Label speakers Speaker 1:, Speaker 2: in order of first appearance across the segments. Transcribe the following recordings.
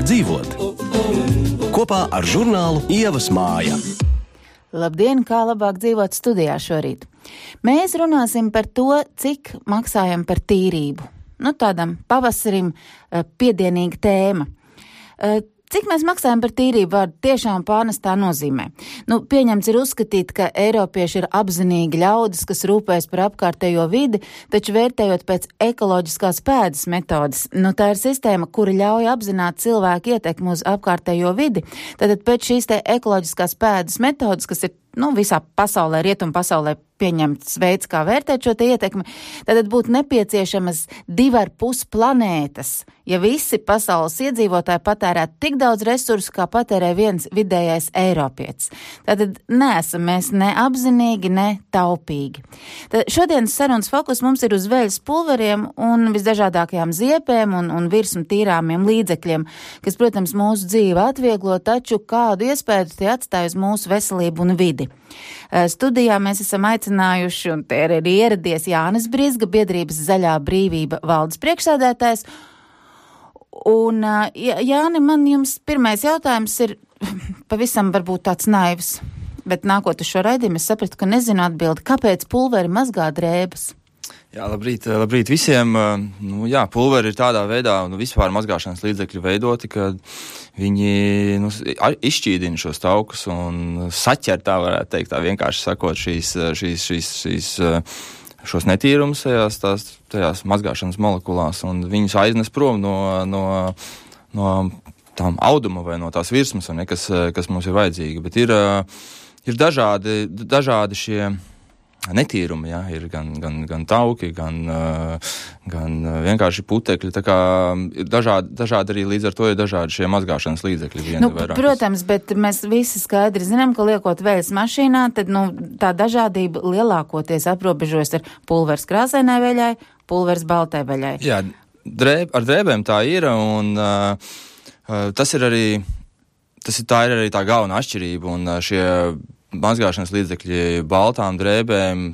Speaker 1: Dzīvot kopā ar žurnālu Ievas māja.
Speaker 2: Labdien, kā labāk dzīvot studijā šorīt. Mēs runāsim par to, cik maksājam par tīrību. Tādam pavasarim piedienīga tēma. Cik mēs maksājam par tīrību vārdu tiešām pārnestā nozīmē? Pieņemts ir uzskatīt, ka eiropieši ir apzinīgi ļaudis, kas rūpējas par apkārtējo vidi, taču vērtējot pēc ekoloģiskās pēdas metodas. Tā ir sistēma, kura ļauj apzināt cilvēku ietekmi uz apkārtējo vidi. Tātad pēc šīs te ekoloģiskās pēdas metodas, kas ir visā pasaulē, rietumu pasaulē pieņemts veids, kā vērtēt šo te ietekmi, tad būtu nepieciešamas 2,5 planētas, ja visi pasaules iedzīvotāji patērētu tik daudz resursu, kā patērē viens vidējais eiropietis. Tātad neesam mēs ne apzinīgi, ne taupīgi. Tad šodienas sarunas fokus mums ir uz veļas pulveriem un visdažādākajām ziepēm un virsmu tīrāmiem līdzekļiem, kas, protams, mūsu dzīvi atvieglo, taču kādu iespēju tie atstāj uz mūsu veselību un vidi. Studijā mēs esam aicinājuši, un te ir arī ieradies Jānis Brizga, biedrības Zaļā brīvība valdes priekšsēdētājs. Un, Jāni, man jums pirmais jautājums ir pavisam varbūt tāds naivs, bet nākot uz šo raidījumu es sapratu, ka nezinu atbildi, kāpēc pulveri mazgā drēbes?
Speaker 3: Jā, labrīt visiem. Pulveri ir tādā veidā, vispār mazgāšanas līdzekļu veidoti, ka viņi izšķīdina šos taukus un saķer, tā varētu teikt, tā vienkārši sakot, šos netīrumus tajās mazgāšanas molekulās, un viņus aiznes prom no tām auduma vai no tās virsmas, kas mums ir vajadzīga. Bet ir dažādi šie netīrumi, jā, ir gan tauki, gan vienkārši putekļi, tā kā ir dažādi arī līdz ar to ir dažādi šie mazgāšanas līdzekļi.
Speaker 2: Protams, bet mēs visi skaidri zinām, ka liekot veļas mašīnā, tad tā dažādība lielākoties aprobežojas ar pulvers krāsainai veļai, pulvers baltai veļai.
Speaker 3: Jā, ar drēbēm tā ir, un tā ir arī tā galvenā atšķirība, un šie mazgāšanas līdzekļi baltām drēbēm,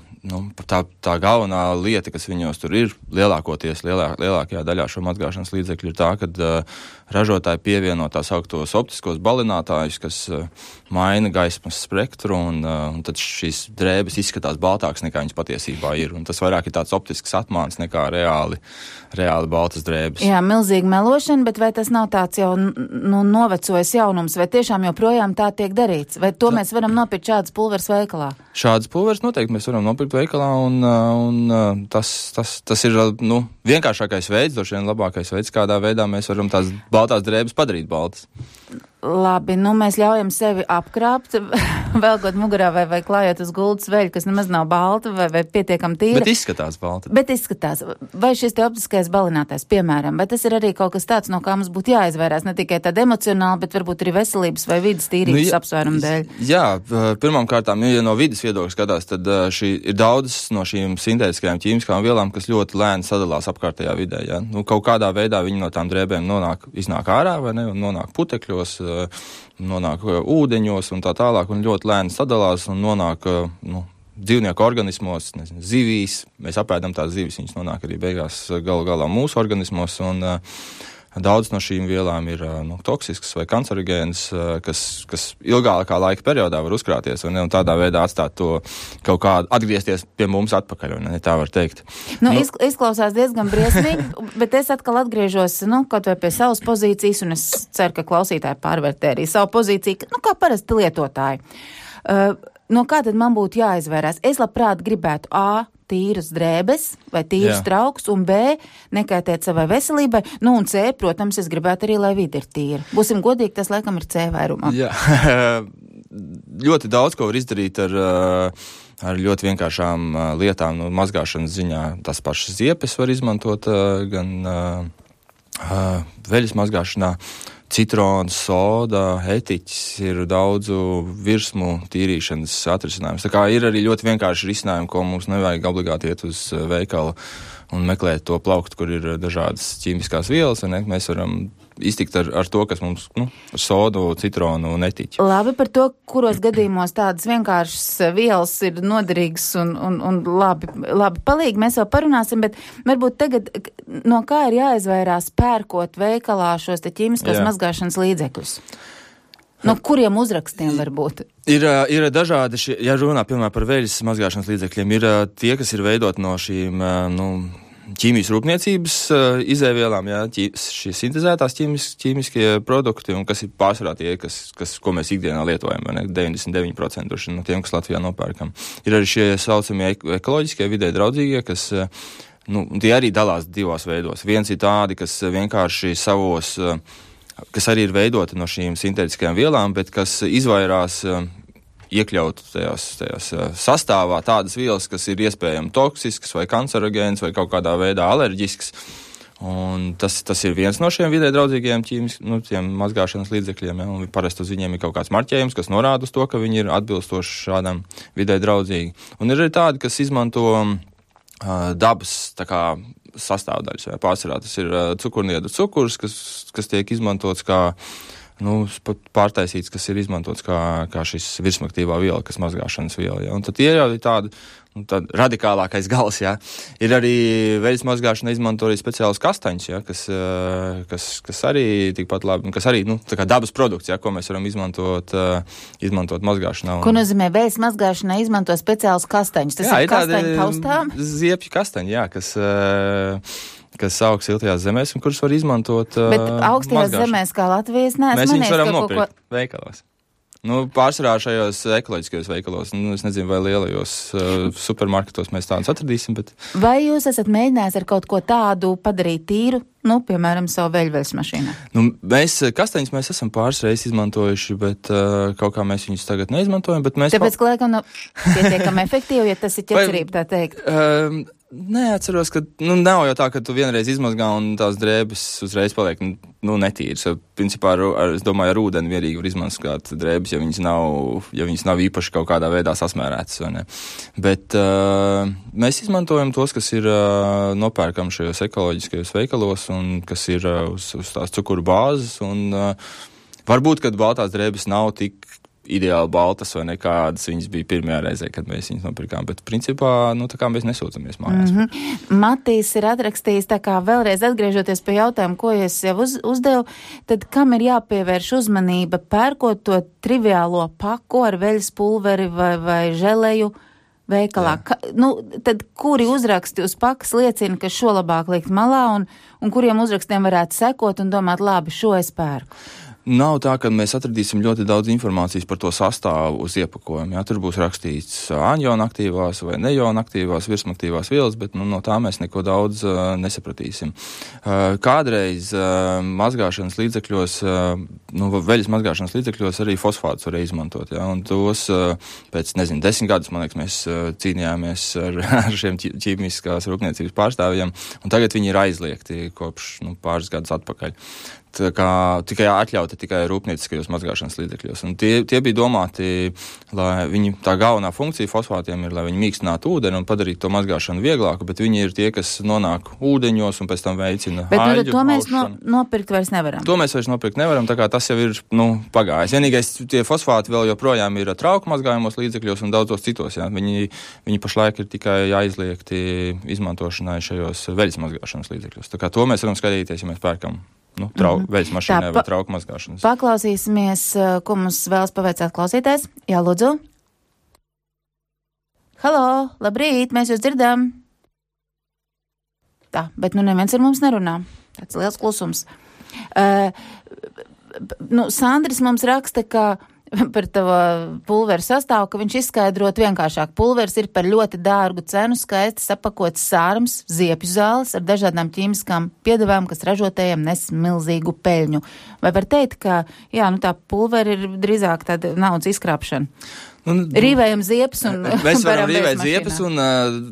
Speaker 3: tā galvenā lieta, kas viņos tur ir, lielākajā daļā šo mazgāšanas līdzekļu ir tā, kad ražotāji pievieno tās augtos optiskos balinātājus, kas maina gaismas spektru, un tad šīs drēbes izskatās baltāks nekā viņas patiesībā ir, un tas vairāk ir tāds optisks atmāns nekā reāli baltas drēbes.
Speaker 2: Jā, milzīga melošana, bet vai tas nav tāds jau novecojis jaunums, vai tiešām joprojām tā tiek darīts? Vai to mēs varam nopirkt šādas pulveres veikalā?
Speaker 3: Šādas pulveres noteikti mēs varam nopirkt veikalā, un tas ir vienkāršākais veids, droši vien labākais veids, kādā veidā mēs varam tās baltās drēbes padarīt baltas.
Speaker 2: Labi, mēs ļaujam sevi apkrāpt, velkot mugurā vai klājot uz gultas veļu, kas nemaz nav balta vai pietiekam tīra.
Speaker 3: Bet izskatās balta.
Speaker 2: Bet izskatās. Vai šis te optiskais balinātājs, piemēram, vai tas ir arī kaut kas tāds, no kā mums būtu jāizvairās, ne tikai tāda emocionāli, bet varbūt arī veselības vai vidas tīrības apsvērumu dēļ?
Speaker 3: Jā, pirmām kārtām, ja no vidas viedokļa skatās, tad ir daudzas no šīm sintētiskajām ķīmiskām vielām, kas ļoti lēni sadalās apkārtējā vidē. Ja? Kaut kādā veidā viņi no tām drēbēm iznāk ārā, vai ne, un nonāk putekļos, nonāk ūdeņos un tā tālāk, un ļoti lēni sadalās un nonāk dzīvnieku organismos, zivīs. Mēs apēdam tās zivis, viņas nonāk arī beigās galu galā mūsu organismos, un daudz no šīm vielām ir toksiskas vai kancerogēnas, kas ilgākā laika periodā var uzkrāties un tādā veidā atstāt to kaut kādu, atgriezties pie mums atpakaļ, un tā var teikt.
Speaker 2: Izklausās diezgan briesmīgi, bet es atkal atgriežos, kaut vai pie savas pozīcijas, un es ceru, ka klausītāji pārvērtē arī savu pozīciju, kā parasti lietotāji. No kā tad man būtu jāizvērās? Es labprāt gribētu tīras drēbes vai tīras traukus, un B, nekaitēt savai veselībai, un C, protams, es gribētu arī, lai vide ir tīra. Būsim godīgi, tas laikam ir C vairumā.
Speaker 3: Jā, ļoti daudz ko var izdarīt ar ļoti vienkāršām lietām, mazgāšanas ziņā. Tas pašas ziepes var izmantot gan veļas mazgāšanā. Citrons, soda, etiķis ir daudzu virsmu tīrīšanas atrisinājums. Tā kā ir arī ļoti vienkārši risinājumi, ko mums nevajag obligāti iet uz veikalu un meklēt to plauktu, kur ir dažādas ķīmiskās vielas, vai ne? Mēs varam iztikt ar to, kas mums, ar sodu, citronu netiķi.
Speaker 2: Labi, par to, kuros gadījumos tādas vienkāršas vielas ir noderīgas un labi palīgi, mēs vēl parunāsim, bet varbūt tagad, no kā ir jāizvairās pērkot veikalā šos te ķīmiskos mazgāšanas līdzekļus? No kuriem uzrakstiem var būt?
Speaker 3: Ir dažādi, ja runā, piemēram, par veļas mazgāšanas līdzekļiem, ir tie, kas ir veidot no šīm, ķīmijas rūpniecības izēvielām, šie sintezētās ķīmiskie produkti, un kas ir pārsvarā tie, ko mēs ikdienā lietojam, 99% no tiem, kas Latvijā nopērkam. Ir arī šie saucamie ekoloģiskie, vidē draudzīgie, kas, tie arī dalās divos veidos. Viens ir tādi, kas vienkārši savos, kas arī ir veidoti no šīm sintētiskajām vielām, bet kas izvairās iekļaut tajās sastāvā tādas vielas, kas ir iespējami toksiskas vai kancerogēnas vai kaut kādā veidā alerģiskas. Un tas ir viens no šiem vidē draudzīgajiem tiem mazgāšanas līdzekļiem, un parasti uz viņiem ir kaut kāds marķējums, kas norāda uz to, ka viņi ir atbilstoši šādam vidē draudzīgi. Un ir arī tādi, kas izmanto dabas tā kā sastāvdaļas, vai pārsvarā tas ir cukurniedru cukurs, kas tiek izmantots kā pārtaisīts, kas ir izmantots kā šis virsmaktīvā viela, kas mazgāšanas viela. Ja? Un tad ir jau tāda radikālākais gals, ja? Ir arī veļas mazgāšana izmanto arī speciālus kastaņus, ja? kas arī tikpat labi, kas arī, tā kā dabas produkts, ja? Ko mēs varam izmantot mazgāšanā.
Speaker 2: Ko nozīmē veļas mazgāšanā izmanto speciālus kastaņus? Tas ir kastaņu taustām?
Speaker 3: Ziepju kastaņi, jā, kas aug siltajās zemēs un kurus var izmantot
Speaker 2: Bet augstajās zemēs, kā Latvijas,
Speaker 3: mēs viņus varam nopirkt veikalos. Pārsvarā šajos ekoloģiskajos veikalos, es nezinu, vai lielajos supermarketos mēs tādus atradīsim, bet...
Speaker 2: Vai jūs esat mēģinājis ar kaut ko tādu padarīt tīru, piemēram, savu veļveļas mašīnā?
Speaker 3: Kastaņus mēs esam pāris reizes izmantojuši, bet kaut kā mēs viņus tagad neizmantojam, bet mēs...
Speaker 2: Tāpēc, ka laikam pietiekami efektīvi, ja tas ir ķecerība, tā teikt.
Speaker 3: Neatceros, ka, nav jau tā, ka tu vienreiz izmazgā un tās drēbes uzreiz paliek, netīras. Principā, es domāju, ar ūdeni vienīgi var izmazgāt drēbes, ja viņas nav īpaši kaut kādā veidā sasmērētas, vai ne. Bet mēs izmantojam tos, kas ir nopērkam šajos ekoloģiskajos veikalos un kas ir uz tās cukuru bāzes, un varbūt, kad baltās drēbes nav tik ideāli baltas vai nekādas viņas bija pirmajā reizē, kad mēs viņas nopirkām, bet principā, tā kā mēs nesūcamies mājās.
Speaker 2: Matīs ir atrakstījis, tā kā vēlreiz atgriežoties pie jautājumu, ko es jau uzdevu, tad kam ir jāpievērš uzmanība pērkot to triviālo paku ar veļas pulveri vai želeju veikalā? Tad kuri uzraksti uz pakas liecina, ka šo labāk likt malā un kuriem uzrakstiem varētu sekot un domāt, labi, šo es pērku?
Speaker 3: Nav tā, ka mēs atradīsim ļoti daudz informācijas par to sastāvu uz iepakojuma. Jā, tur būs rakstīts aniona aktīvās vai neona aktīvās, virsmaktīvās vielas, bet no tā mēs neko daudz nesapratīsim. Kādreiz mazgāšanas līdzekļos, veļas mazgāšanas līdzekļos arī fosfātus varēja izmantot. Jā, un tos pēc, 10 gadus, man liekas, mēs cīnījāmies ar šiem ķīmiskās rūpniecības pārstāvjiem, un tagad viņi ir aizliegti kopš pāris gadus atpakaļ. Tikai atļauti tikai rūpnieciskajos mazgāšanas līdzekļos. Un tie bija domāti, lai tā galvenā funkcija fosfātiem ir, lai viņi mīkstinātu ūdeni un padarītu to mazgāšanu vieglāku, bet viņi ir tie, kas nonāk ūdeņos un pēc tam veicina aļģu.
Speaker 2: Bet to mēs nopirkt vairs nevaram.
Speaker 3: To mēs vairs nopirkt nevaram, tā kā tas jau ir, pagājis. Vienīgais tie fosfāti vēl joprojām ir trauku mazgājumos līdzekļos un daudzos citos, jā. Viņi pašlaik ir tikai aizliegti izmantošanai šajos veļas mazgāšanas līdzekļos. Tā kā to mēs varam skatīties, ja mēs pērkam veļas mašīnai vai trauku mazgāšanas.
Speaker 2: Paklausīsimies, ko mums vēlas pavaicāt klausītājs. Jā, lūdzu. Halo, labrīt, mēs jūs dzirdam. Tā, bet neviens ar mums nerunā. Tāds liels klusums. Sandris mums raksta, ka par tavu pulveru sastāvu, ka viņš izskaidrot vienkāršāk. Pulveris ir par ļoti dārgu cenu, skaisti sapakots sārums, ziepju zāles ar dažādām ķīmiskām piedevām, kas ražotējiem nes milzīgu peļņu. Vai var teikt, ka tā pulveri ir drīzāk tāda naudas izkrāpšana? Rīvējam ziepes un
Speaker 3: mēs varam rīvēt ziepes un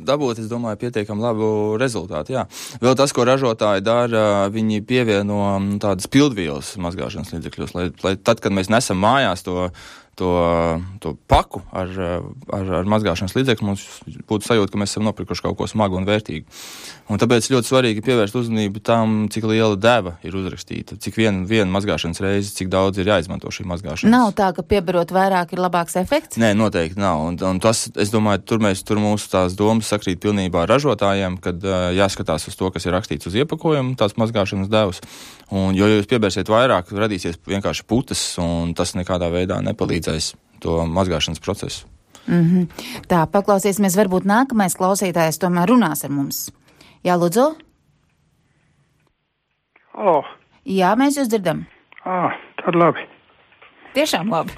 Speaker 3: dabūt, es domāju, pietiekam labu rezultātu, jā. Vēl tas, ko ražotāji dara, viņi pievieno tādas pildvielas mazgāšanas līdzekļos, lai tad, kad mēs nesam mājās to to paku ar mazgāšanas līdzekli, mums būtu sajūta, ka mēs esam nopirkuši kaut ko smagu un vērtīgu. Un tāpēc ļoti svarīgi pievērst uzmanību tam, cik liela deva ir uzrakstīta, cik viena mazgāšanas reize, cik daudz ir jāizmanto šī mazgāšanas.
Speaker 2: Nav tā, ka piebarot vairāk ir labāks efekts?
Speaker 3: Nē, noteikti nav. Un tas, es domāju, tur mūsu tās domas sakrīt pilnībā ar ražotājiem, kad jāskatās uz to, kas ir rakstīts uz iepakojuma, tās mazgāšanas devas. Un, jo jūs piebērsiet vairāk, radīsies vienkārši putas, un tas nekādā veidā nepalīdzēs to mazgāšanas procesu.
Speaker 2: Tā, paklausīsimies, varbūt nākamais klausītājs tomēr runās ar mums. Jā, lūdzu?
Speaker 4: Halo.
Speaker 2: Jā, mēs jūs dzirdam.
Speaker 4: Tad labi.
Speaker 2: Tiešām labi.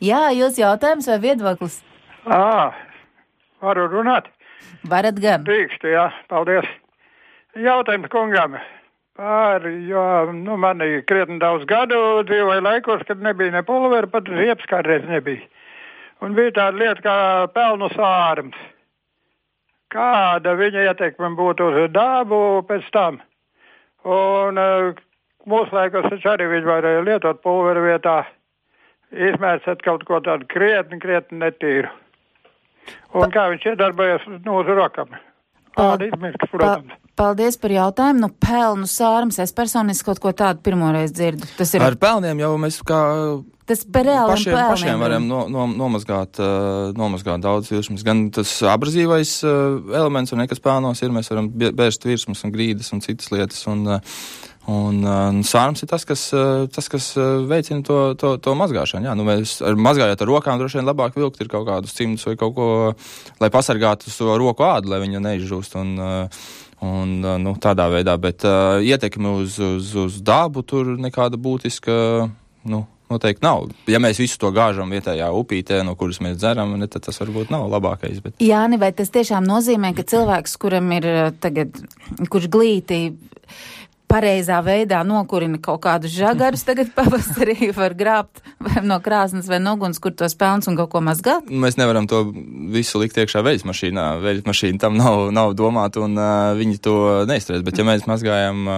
Speaker 2: Jā, jūs jautājums vai viedoklis?
Speaker 4: Varu runāt?
Speaker 2: Varat gan.
Speaker 4: Drīkstu, jā, paldies. Jautājums kungam. Jo, man ir krietni daudz gadu dzīvoja laikos, kad nebija ne pulvera, pat ziepes kādreiz nebija. Un bija tāda lieta kā pelnu sārums. Kāda viņa ieteikme būtu uz dabu pēc tam? Un mūsu laikos taču arī viņi varēja lietot pulvera vietā, izmērcēt kaut ko tādu krietni netīru. Un kā viņš iedarbojas uz rokam?
Speaker 2: Paldies par jautājumu. Pelnu sārums, es personiski kaut ko tādu pirmoreiz dzirdu. Tas ir...
Speaker 3: Ar pelniem jau mēs pašiem varam nomazgāt daudz virsmas. Gan tas abrazīvais elements, un nekas pelnos ir, mēs varam bērst virsmas un grīdas un citas lietas. Un sārums ir tas, kas veicina to mazgāšanu. Jā, mēs mazgājot ar rokām droši vien labāk vilkt ir kaut kādus cimdus vai kaut ko, lai pasargātu to roku ādu, lai viņa neizžūst un tādā veidā, bet ietekmi uz dabu tur nekāda būtiska, noteikti nav. Ja mēs visu to gāžam vietējā upītē, no kuras mēs dzeram, tad tas varbūt nav labākais. Bet...
Speaker 2: Jāni, vai tas tiešām nozīmē, ka cilvēks, kuram ir tagad, kurš glīti pareizā veidā nokurina kaut kādus žagarus, tagad pavasarī var grābt vai no krāsnes vai no uguns, kur tos pelns un kaut ko mazgāt?
Speaker 3: Mēs nevaram to visu likt iekšā veļas mašīnā. Veļas mašīna tam nav domāta un viņi to neizturēs. Bet ja mēs mazgājam,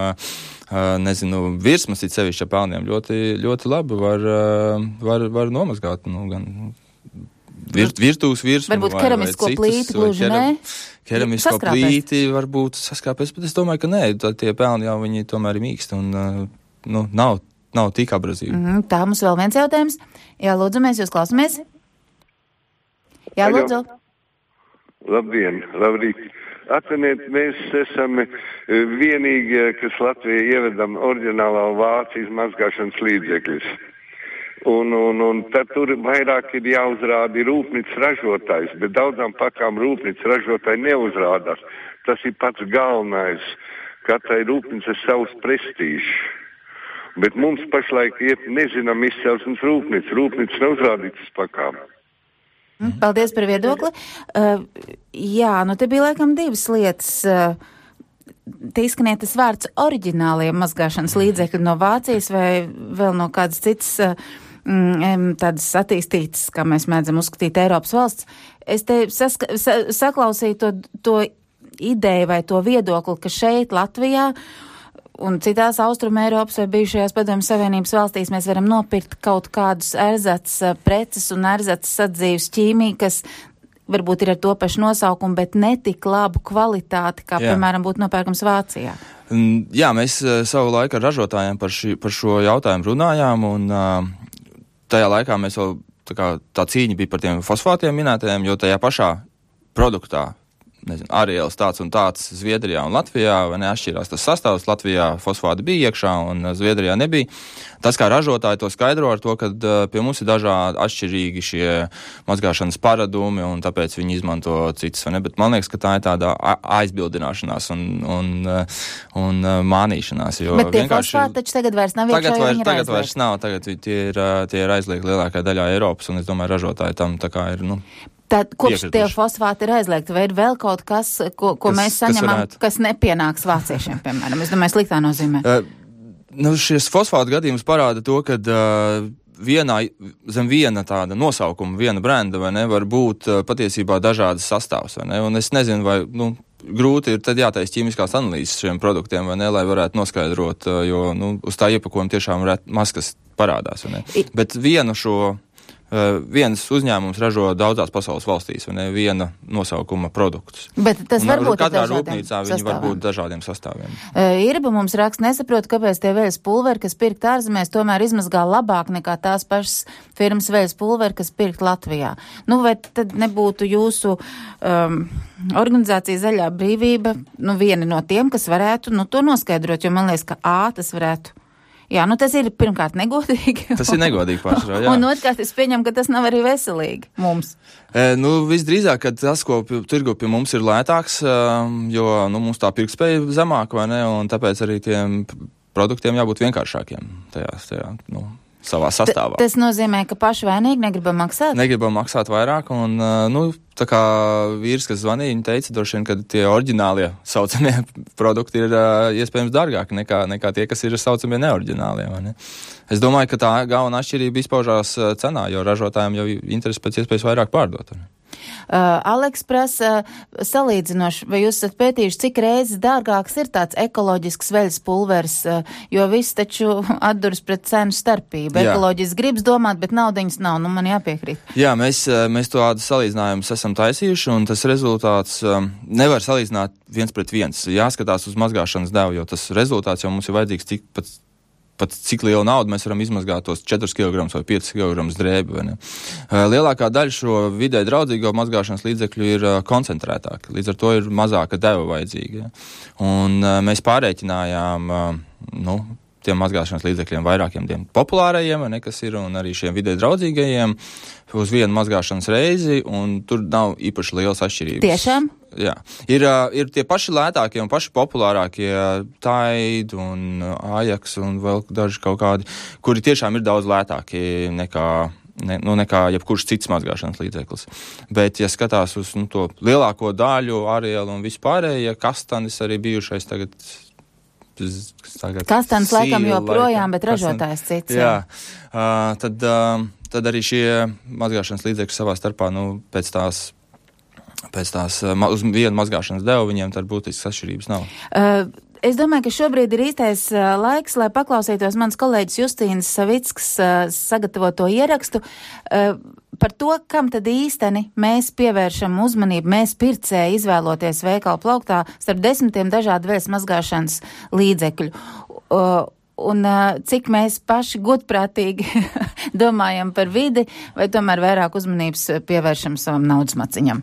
Speaker 3: virsmas it sevišķi ar pelniem, ļoti, ļoti labi var nomazgāt, gan virtuves virsmu.
Speaker 2: Varbūt keramisko plīti gluži nē?
Speaker 3: Keramisko plīti varbūt saskāpēs, bet es domāju, ka nē, tie pelni jau viņi tomēr ir mīksti un nav tik abrazīvi.
Speaker 2: Tā, mums vēl viens jautājums. Jā, lūdzu, mēs jūs klausamies. Jā, lūdzu.
Speaker 5: Labdien, labrīt. Atciniet, mēs esam vienīgie, kas Latvijā ievedam oriģinālā Vācijas mazgāšanas līdzekļus. Un tad tur vairāk ir jāuzrāda rūpnīcas ražotājs, bet daudzām pakām rūpnīcas ražotāji neuzrādās. Tas ir pats galvenais. Katrai rūpnīcai savs prestīžs. Bet mums pašlaik nezinām izcelsmes rūpnīca. Rūpnīca nav uzrādītas pakām.
Speaker 2: Paldies par viedokli. Jā, te bija laikam divas lietas. Te izskanēja tas vārds oriģinālie mazgāšanas līdzekļi no Vācijas vai vēl no kādas citas tādas attīstītas, kā mēs mēdzam uzskatīt, Eiropas valsts. Es te saklausīju to ideju vai to viedokli, ka šeit Latvijā un citās Austrum Eiropas vai bijušajās Padomju Savienības valstīs mēs varam nopirkt kaut kādus erzats preces un erzats sadzīves ķīmiju, kas varbūt ir ar to pašu nosaukumu, bet netik labu kvalitāti, kā, piemēram, būtu nopērkams Vācijā.
Speaker 3: Jā, mēs savu laiku ar ražotājiem par šo jautājumu runājām, un tajā laikā mēs vēl, tā cīņa bija par tiem fosfātiem minētajiem, jo tajā pašā produktā, arielis tāds un tāds Zviedrijā un Latvijā, vai neatšķirās tas sastāvs, Latvijā fosfāti bija iekšā un Zviedrijā nebija. Tas, kā ražotāji to skaidro ar to, ka pie mums ir dažādi atšķirīgi šie mazgāšanas paradumi un tāpēc viņi izmanto citas, vai ne, bet man liekas, ka tā ir tāda aizbildināšanās un mānīšanās, jo
Speaker 2: bet tie fosfāti taču tagad vairs nav iekšā, jo viņi ir
Speaker 3: tagad vairs nav, tagad tie ir aizliegti lielākajā daļā Eiropas, un es domāju, ražotāji tam tā kā ir,
Speaker 2: Tad, kopš tie fosfāti ir aizliegti, vai ir vēl kaut kas, ko mēs saņemam, kas nepienāks vāciešiem, piemēram? Es domāju, sliktā nozīmē.
Speaker 3: Šis fosfātu gadījums parāda to, ka zem viena tāda nosaukuma, viena brenda, vai ne, var būt patiesībā dažādas sastāvs, vai ne? Un es nezinu, vai, grūti ir tad jātaisa ķīmiskās analīzes šiem produktiem, vai ne, lai varētu noskaidrot, jo, uz tā iepakojuma tiešām maskas parādās, vai ne. Bet viens uzņēmums ražo daudzās pasaules valstīs, vai ne, viena nosaukuma produktus.
Speaker 2: Bet tas varbūt
Speaker 3: katrā rūpnīcā viņi var būt dažādiem sastāviem.
Speaker 2: Irba mums raksta, nesaprot, kāpēc tie veļas pulveri, kas pirkt ārzemēs, tomēr izmazgā labāk nekā tās pašas firmas veļas pulveri, kas pirkt Latvijā. Vai tad nebūtu jūsu organizācija Zaļā brīvība, viena no tiem, kas varētu, to noskaidrot, jo man liekas, ka tas varētu. Jā, tas ir pirmkārt negodīgi.
Speaker 3: Tas ir negodīgi pašā, jā.
Speaker 2: Un otrkārt, es pieņemu, ka tas nav arī veselīgi mums.
Speaker 3: Visdrīzāk, ka tas, ko tirgu pie mums ir lētāks, jo, mums tā pirktspēja zemāk, vai ne, un tāpēc arī tiem produktiem jābūt vienkāršākiem tajā savā sastāvā.
Speaker 2: Tas nozīmē, ka paši vainīgi negribam maksāt?
Speaker 3: Negribam maksāt vairāk, un, tā kā vīrs, kas zvanīja, viņa teica, droši vien, ka tie oriģinālie saucamie produkti ir iespējams dārgāki nekā tie, kas ir saucamie neoriģinālie, vai ne? Es domāju, ka tā galvenā atšķirība izpaužās cenā, jo ražotājiem jau interesi pēc iespējas vairāk pārdot.
Speaker 2: Aleks prasa salīdzinoši, vai jūs esat pētījuši, cik reizes dārgāks ir tāds ekoloģisks veļas pulveris, jo viss taču atduras pret cenu starpību. Ekoloģisks gribas domāt, bet naudiņas nav, man jāpiekrīt.
Speaker 3: Jā, mēs tādu salīdzinājumus esam taisījuši, un tas rezultāts nevar salīdzināt viens pret viens. Jāskatās uz mazgāšanas devu, jo tas rezultāts jau mums ir vajadzīgs pat cik lielu naudu mēs varam izmazgāt tos 4 kg vai 5 kg drēbi. Vai ne? Lielākā daļa šo vidē draudzīgo mazgāšanas līdzekļu ir koncentrētāki, līdz ar to ir mazāka deva vajadzīga. Ja? Un mēs pārreikinājām tiem mazgāšanas līdzekļiem vairākiem tiem populārajiem, ne, kas ir, un arī šiem vidē draudzīgajiem uz vienu mazgāšanas reizi, un tur nav īpaši liels atšķirības.
Speaker 2: Tiešām?
Speaker 3: Jā. Ir tie paši lētākie un paši populārākie Tide un Ajax un vēl daži kaut kādi, kuri tiešām ir daudz lētāki nekā jebkurš cits mazgāšanas līdzeklis. Bet, ja skatās uz to lielāko daļu, Arielu un vispārējie, Kastanis arī bijušais tagad
Speaker 2: Kastanis laikam joprojām, bet ražotājs cits.
Speaker 3: Jā. Tad arī šie mazgāšanas līdzekļi savā starpā, pēc tās uz vienu mazgāšanas devu viņiem tad būtisks atšķirības nav.
Speaker 2: Es domāju, ka šobrīd ir īstais laiks, lai paklausītos mans kolēģis Justīnas Savickas sagatavoto ierakstu par to, kam tad īsteni mēs pievēršam uzmanību, mēs pircēji izvēloties veikalu plauktā starp 10 dažādu veļas mazgāšanas līdzekļu. Un cik mēs paši godprātīgi domājam par vidi, vai tomēr vairāk uzmanības pievēršam savam naudas maciņam.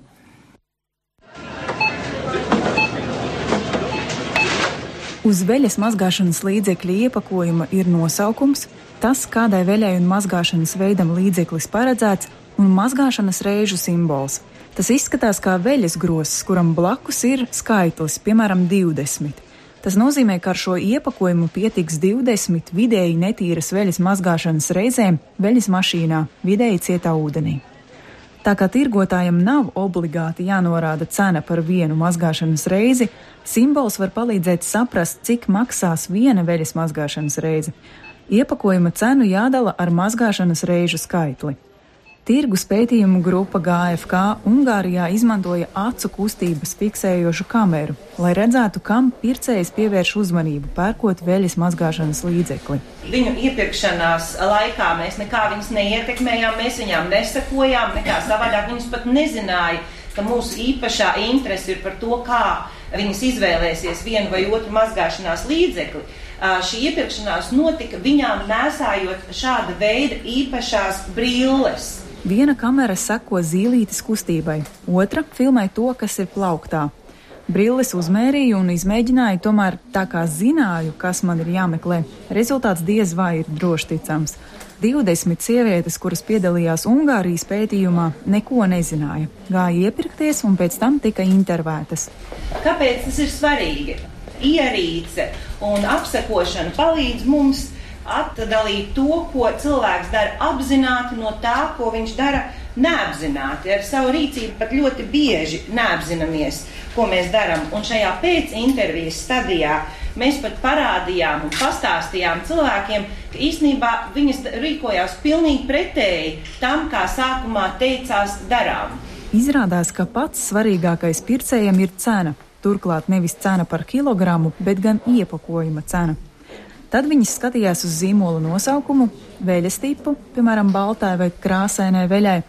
Speaker 6: Uz veļas mazgāšanas līdzekļa iepakojuma ir nosaukums, tas, kādai veļai un mazgāšanas veidam līdzeklis paredzēts, un mazgāšanas reižu simbols. Tas izskatās kā veļas grosis, kuram blakus ir skaitlis, piemēram, 20. Tas nozīmē, ka ar šo iepakojumu pietiks 20 vidēji netīras veļas mazgāšanas reizēm veļas mašīnā, vidēji cietā ūdenī. Tā kā tirgotājam nav obligāti jānorāda cena par vienu mazgāšanas reizi, simbols var palīdzēt saprast, cik maksās viena veļas mazgāšanas reize. Iepakojuma cenu jādala ar mazgāšanas reižu skaitli. Tirgus pētījumu grupa GFK Ungārijā izmantoja acu kustības fiksējošu kameru, lai redzētu, kam pircējs pievērš uzmanību, pērkot veļas mazgāšanas līdzekli.
Speaker 7: Viņu iepirkšanās laikā mēs nekā viņus neietekmējām, mēs viņām nesakojām, nekā savādāk viņus pat nezināja, ka mūsu īpašā interese ir par to, kā viņas izvēlēsies vienu vai otru mazgāšanās līdzekli. Šī iepirkšanās notika viņām nēsājot šāda veida īpašās brilles.
Speaker 6: Viena kamera seko zīlītes kustībai, otra filmē to, kas ir plauktā. Brilles uzmērīju un izmēģināju, tomēr tā kā zināju, kas man ir jāmeklē, rezultāts diez vai ir droši ticams. 20 sievietes, kuras piedalījās Ungārijas pētījumā, neko nezināja. Gāja iepirkties un pēc tam tika intervētas.
Speaker 7: Kāpēc tas ir svarīgi? Ierīce un apsekošana palīdz mums atdalīt to, ko cilvēks dara apzināti no tā, ko viņš dara neapzināti. Ar savu rīcību pat ļoti bieži neapzināmies, ko mēs darām. Un šajā pēcintervijas stadijā mēs pat parādījām un pastāstījām cilvēkiem, ka īstenībā viņas rīkojās pilnīgi pretēji tam, kā sākumā teicās darām.
Speaker 6: Izrādās, ka pats svarīgākais pircējam ir cena. turklāt nevis cena par kilogramu, bet gan iepakojuma cena. Tad viņas skatījās uz zīmola nosaukumu, veļas tipu, piemēram, baltai vai krāsainai veļai,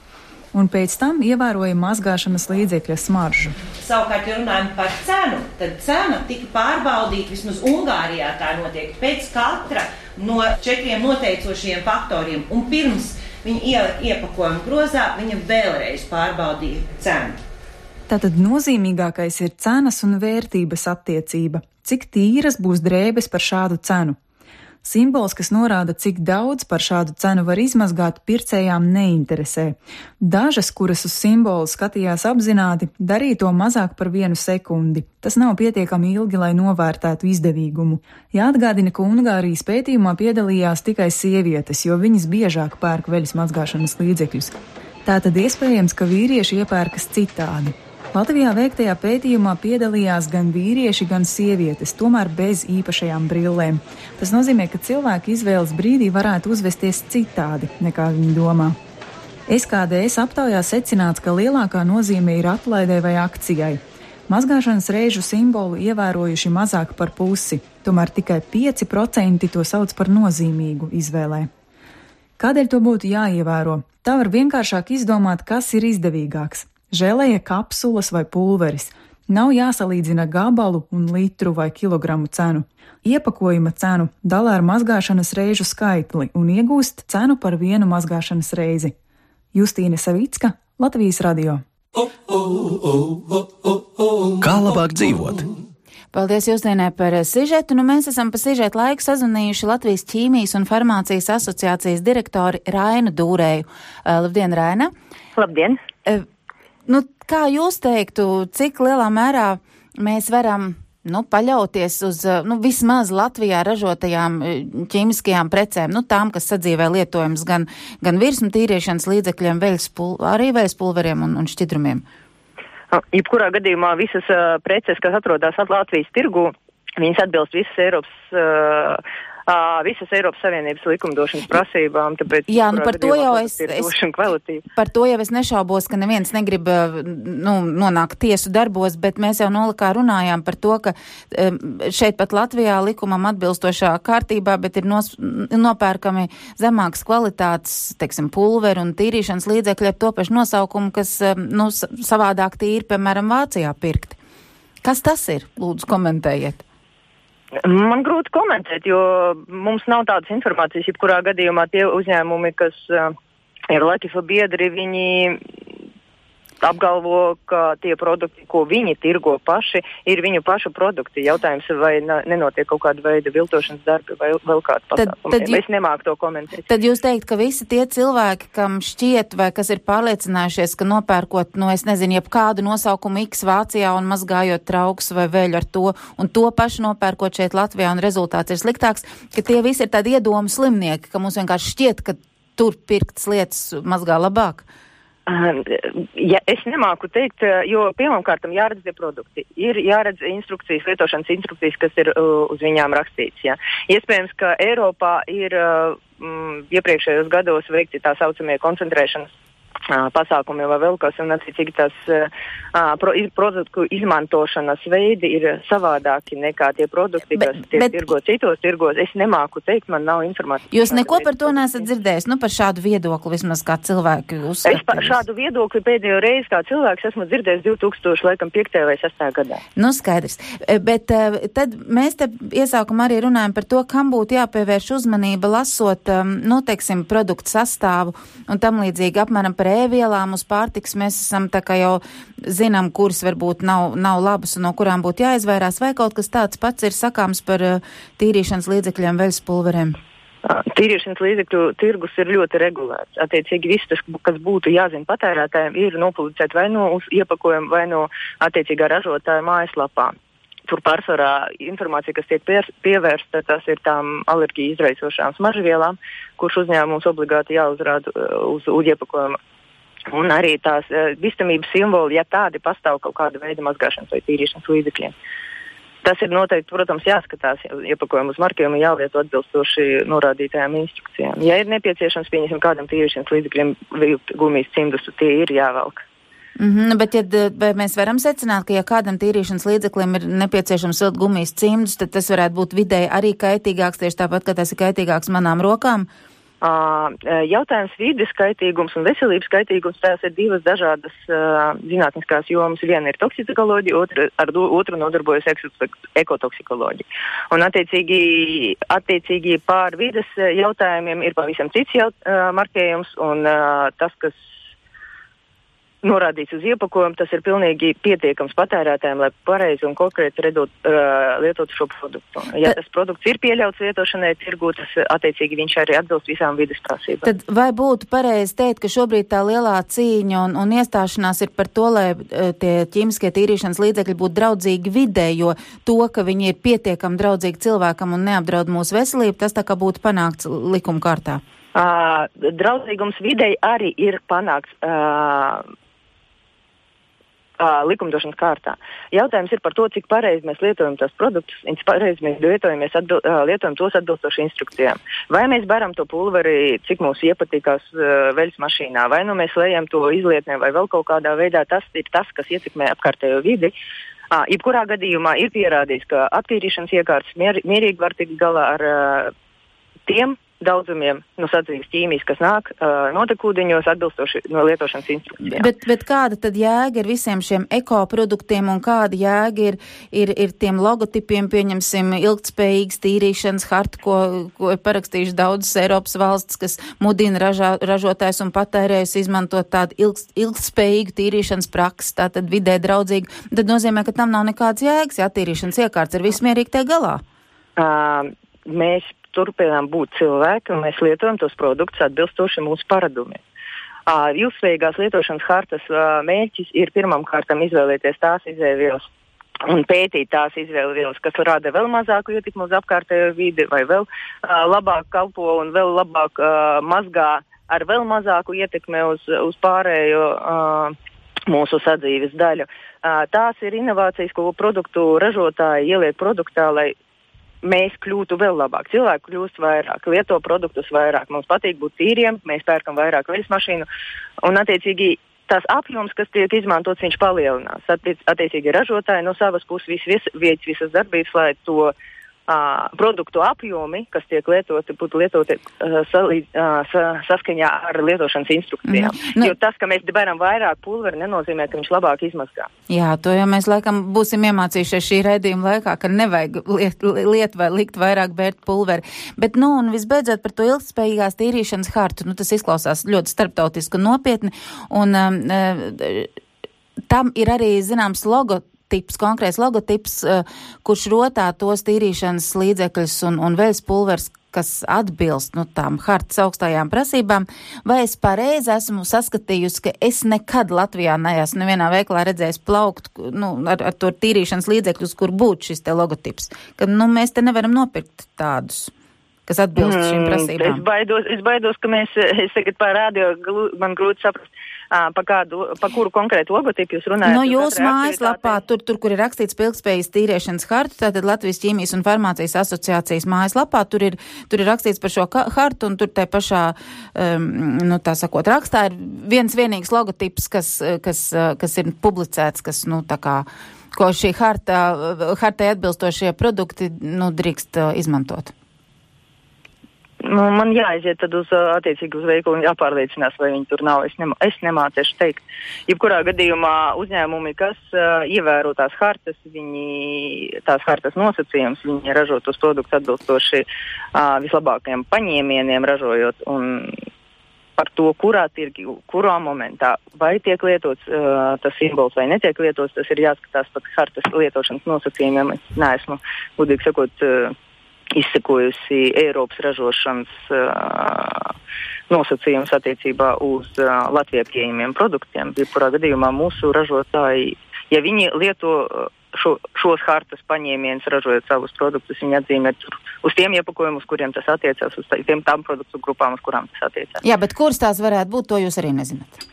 Speaker 6: un pēc tam ievēroja mazgāšanas līdzekļa smaržu.
Speaker 7: Savukārt, ja runājam par cenu, tad cena tika pārbaudīta, vismaz Ungārijā tā notiek, pēc katra no 4 noteicošajiem faktoriem, un pirms viņa iepakojuma grozā, viņa vēlreiz pārbaudīja cenu.
Speaker 6: Tātad nozīmīgākais ir cenas un vērtības attiecība. Cik tīras būs drēbes par šādu cenu? Simbols, kas norāda, cik daudz par šādu cenu var izmazgāt, pircējām neinteresē. Dažas, kuras uz simbolu skatījās apzināti, darīja to mazāk par 1 sekundi. Tas nav pietiekami ilgi, lai novērtētu izdevīgumu. Jāatgādina, ka Ungārijas pētījumā piedalījās tikai sievietes, jo viņas biežāk pērk veļas mazgāšanas līdzekļus. Tātad iespējams, ka vīrieši iepērkas citādi. Latvijā veiktajā pētījumā piedalījās gan vīrieši, gan sievietes, tomēr bez īpašajām brillēm. Tas nozīmē, ka cilvēki izvēles brīdī varētu uzvesties citādi, nekā viņi domā. SKDS aptaujā secināts, ka lielākā nozīme ir atlaidē vai akcijai. Mazgāšanas reižu simbolu ievērojuši mazāk par pusi, tomēr tikai 5% to sauc par nozīmīgu izvēlē. Kādēļ to būtu jāievēro? Tā var vienkāršāk izdomāt, kas ir izdevīgāks. Želeja, kapsulas vai pulveris. Nav jāsalīdzina gabalu un litru vai kilogramu cenu. Iepakojuma cenu dala ar mazgāšanas reižu skaitli un iegūst cenu par 1 mazgāšanas reizi. Justīne Savicka, Latvijas radio.
Speaker 1: Kā labāk dzīvot?
Speaker 2: Paldies Justīnai par sižetu. Mēs esam pa sižetu laiku sazvanījuši Latvijas ķīmijas un farmācijas asociācijas direktori Rainu Dūrēju. Labdien, Raina!
Speaker 8: Labdien!
Speaker 2: Kā jūs teiktu, cik lielā mērā mēs varam paļauties uz vismaz Latvijā ražotajām ķīmiskajām precēm, tām, kas sadzīvē lietojams gan virsmu tīriešanas līdzekļiem, arī veļas pulveriem un šķidrumiem?
Speaker 8: Jebkurā gadījumā visas preces, kas atrodas Latvijas tirgū, viņas atbilst visas Eiropas Savienības likumdošanas prasībām, tāpēc
Speaker 2: par to jau es nešaubos, ka neviens negrib nonākt tiesu darbos, bet mēs jau nolikā runājām par to, ka šeit pat Latvijā likumam atbilstošā kārtībā, bet ir nopērkami zemākas kvalitātes, teiksim, pulveru un tīrīšanas līdzekļi ar to pašu nosaukumu, kas savādāk tīri, piemēram, Vācijā pirkti. Kas tas ir? Lūdzu, komentējiet.
Speaker 8: Man grūti komentēt, jo mums nav tādas informācijas, jebkurā gadījumā tie uzņēmumi, kas ir Latvijas biedri, viņi apgalvo, ka tie produkti, ko viņi tirgo paši, ir viņu pašu produkti. Jautājums, vai nenotiek kaut kāda veida viltošanas darbi vai vēl kāda pasākuma. Es nemāku to komentēt.
Speaker 2: Tad jūs teikt, ka visi tie cilvēki, kam šķiet vai kas ir pārliecinājušies, ka nopērkot, jebkādu nosaukumu X Vācijā un mazgājot trauks vai veļu ar to, un to pašu nopērkot šeit Latvijā un rezultāts ir sliktāks, ka tie visi ir tādi iedomu slimnieki, ka mums vienkārši šķiet, ka tur pirktas lietas mazgā labāk.
Speaker 8: Es nemāku teikt, jo pirmkārt jāredz tie produkti. Ir jāredz instrukcijas, lietošanas instrukcijas, kas ir uz viņām rakstīts. Ja. Iespējams, ka Eiropā ir iepriekšējos gados veikti tā saucamie koncentrēšanas pasākumi vai vēl kas, un attiecīgi tās produktu izmantošanas veidi ir savādāki nekā tie produkti, kas tiek tirgo citos tirgos. Es nemāku teikt, man nav informācijas.
Speaker 2: Jūs neko par to neesat dzirdējis, par šādu viedokli vismaz kā cilvēki uzskata?
Speaker 8: Es par šādu viedokli pēdējo reizi kā cilvēks esmu dzirdējis 2005. vai 2006. gadā.
Speaker 2: Skaidrs. Bet tad mēs te iesākumā arī runājam par to, kam būtu jāpievērš uzmanība lasot, teiksim, produktu sastāvu un tam līdzīgi apmēram par ēvielām uz pārtiks. Mēs esam tā kā jau zinām, kuras varbūt nav labas un no kurām būtu jāizvairās, vai kaut kas tāds pats ir sakāms par tīrīšanas līdzekļiem, veļas pulveriem?
Speaker 8: Tīrīšanas līdzekļu tirgus ir ļoti regulēts. Attiecīgi viss tas, kas būtu jāzina patērētājiem, ir nopublicēt vai no uz iepakojumu, vai no attiecīgā ražotāja mājaslapā. Tur pārsvarā informācija, kas tiek pievērsta, tas ir tām alerģiju izraisošām smaržvielām, kurš uzņēmums obligāti jāuzrāda uz iepakojuma. Un arī tās bīstamības simboli, ja tādi pastāv kaut kāda veida mazgāšanas vai tīrīšanas līdzekļiem. Tas ir noteikti, protams, jāskatās, iepakojumu uz marķējumu jālieto atbilstoši norādītajām instrukcijām. Ja ir nepieciešams, pieņemsim kādam tīrīšanas līdzekļiem gumijas cimdus, tie ir jāvelk.
Speaker 2: Bet vai mēs varam secināt, ka ja kādam tīrīšanas līdzeklim ir nepieciešams vilkt gumijas cimdus, tad tas varētu būt vidēji arī kaitīgāks, tieši tāpat, ka tas ir kaitīgāks manām rokām?
Speaker 8: Jautājums vides kaitīgums un veselības kaitīgums, tās ir divas dažādas zinātniskās jomas. Viena ir toksikoloģija, otru nodarbojas ekotoksikoloģija. Un attiecīgi pār vides jautājumiem ir pavisam cits markējums, un tas, kas norādīts uz iepakojumu, tas ir pilnīgi pietiekams patērētājiem, lai pareizi un konkrēti lietot šo produktu. Ja tas produkts ir pieļauts lietošanai tirgū, tas attiecīgi viņš arī atbilst visām vides prasībām.
Speaker 2: Tad vai būtu pareizi teikt, ka šobrīd tā lielā cīņa un iestāšanās ir par to, lai tie ķīmiskie tīrīšanas līdzekļi būtu draudzīgi vidē, jo to, ka viņi ir pietiekami draudzīgi cilvēkam un neapdraud mūsu veselību, tas tā kā būtu panākts likuma kārtā?
Speaker 8: Draudzīgums videi arī ir panākts likumdošanas kārtā. Jautājums ir par to, cik pareizi mēs lietojam tos produktus, cik pareizi mēs lietojam tos atbilstoši instrukcijām. Vai mēs baram to pulveri, cik mums iepatīkās veļas mašīnā, vai nu mēs lejam to izlietnē, vai vēl kaut kādā veidā, tas ir tas, kas ietekmē apkārtējo vidi. Jebkurā gadījumā ir pierādīts, ka attīrīšanas iekārtas mierīgi var tikt galā ar tiem daudzumiem sadzīves ķīmijas, kas nāk notekūdeņos atbilstoši no lietošanas instrukcijām.
Speaker 2: Bet kāda tad jēga ir visiem šiem ekoproduktiem un kāda jēga ir tiem logotipiem, pieņemsim, ilgtspējīgas tīrīšanas harta, ko ir parakstījuši daudzas Eiropas valsts, kas mudina ražotājs un patērējus izmantot tādu ilgtspējīgu tīrīšanas praksi, tātad vidē draudzīgu. Tad nozīmē, ka tam nav nekāds jēgas, ja attīrīšanas iekārts ir vismierīgi tie galā.
Speaker 8: Mēs turpinām būt cilvēki, un mēs lietojam tos produktus atbilstoši mūsu paradumiem. Ilgspējīgās lietošanas hartas mērķis ir pirmām kārtām izvēlēties tās izēvielas un pētīt tās izēvielas, kas rada vēl mazāku ietekmi uz apkārtējo vidi, vai vēl labāk kalpo un vēl labāk mazgā ar vēl mazāku ietekmi uz pārējo mūsu sadzīves daļu. Tās ir inovācijas, ko produktu ražotāji ieliek produktā, lai mēs kļūtu vēl labāk. Cilvēki kļūst vairāk, lieto produktus vairāk. Mums patīk būt tīriem, mēs pērkam vairāk veļas mašīnu, un attiecīgi tās apjoms, kas tiek izmantots, viņš palielinās. Attiecīgi ražotāji no savas puses veic visas darbības, lai to produktu apjomi, kas tiek lietoti, būtu lietoti saskaņā ar lietošanas instrukcijām. Jo tas, ka mēs beram vairāk pulveri, nenozīmē, ka viņš labāk izmazgā.
Speaker 2: Jā, to jau mēs laikam būsim iemācījušies šī raidījuma laikā, ka nevajag liet vai likt vairāk bērt pulveri. Bet, un visbeidzot par to ilgtspējīgās tīrīšanas hartu, tas izklausās ļoti starptautiski un nopietni, un tam ir arī, zināms, konkrēts logotips, kurš rotā tos tīrīšanas līdzekļus un veļas pulvers, kas atbilst tām hartas augstajām prasībām, vai es pareizi esmu saskatījusi, ka es nekad Latvijā neesmu nevienā veikalā redzējis plaukt ar to tīrīšanas līdzekļus, kur būtu šis te logotips. Ka mēs te nevaram nopirkt tādus, kas atbilst šīm prasībām.
Speaker 8: Es baidos, ka es tagad parādīju, man grūti saprast, pa kuru konkrētu logotipu jūs runājat?
Speaker 2: Jūsu mājaslapā, tur, kur ir rakstīts ilgtspējas tīrīšanas hartu, tātad Latvijas ķīmijas un farmācijas asociācijas mājaslapā, tur ir rakstīts par šo hartu, un tur tai pašā, rakstā ir viens vienīgs logotips, kas ir publicēts, kas, ko šī hartai atbilstošie produkti, drīkst izmantot.
Speaker 8: Man jāaiziet tad attiecīgi uz veikalu un jāpārliecinās, vai viņi tur nav. Es nemācēšu teikt. Jebkurā gadījumā uzņēmumi, kas ievēro tās hartas, tās hartas nosacījums, viņi ražo tos produktus atbilstoši vislabākajiem paņēmieniem ražojot, un par to, kurā tirgi, kurā momentā, vai tiek lietots tas simbols vai netiek lietots, tas ir jāskatās pat hartas lietošanas nosacījumiem. Es neesmu, gudīgi sakot, izsekojusi Eiropas ražošanas nosacījums attiecībā uz Latvijā pieejamiem produktiem. Jebkurā gadījumā mūsu ražotāji, ja viņi lieto šos hartas paņēmienus, ražojot savus produktus, viņi atzīmē uz tiem iepakojumus, kuriem tas attiecās, uz tām produktu grupām, uz kurām tas attiecās.
Speaker 2: Jā, bet kuras tās varētu būt, to jūs arī nezināt?